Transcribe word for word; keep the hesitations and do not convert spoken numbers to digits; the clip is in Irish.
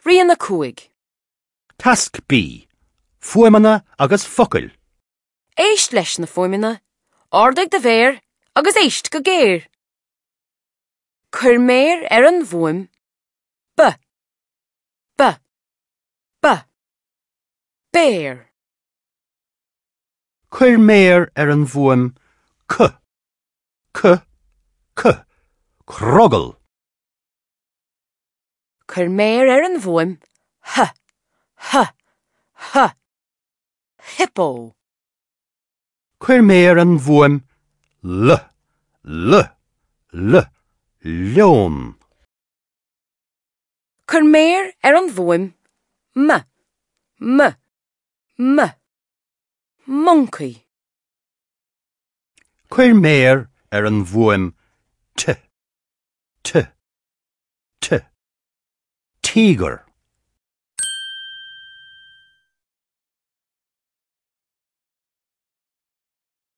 Rian a cúig. Tasc B. Fuaimeanna agus focail. Éist leis na fuaimeanna, ardaigh do mhéar agus éist go géar. Cuir méar ar an bhfuaim B. B. B. Béar. Cuir méar ar an bhfuaim C. C. C. Crogall. Cuir méar ar an bhfuaim H. H. H. Hippo. Cuir méar ar an bhfuaim L. L. L. Leon. Cuir méar ar an bhfuaim M. M. M. Moncaí. Cuir méar ar an bhfuaim T. T. T. Tíogar.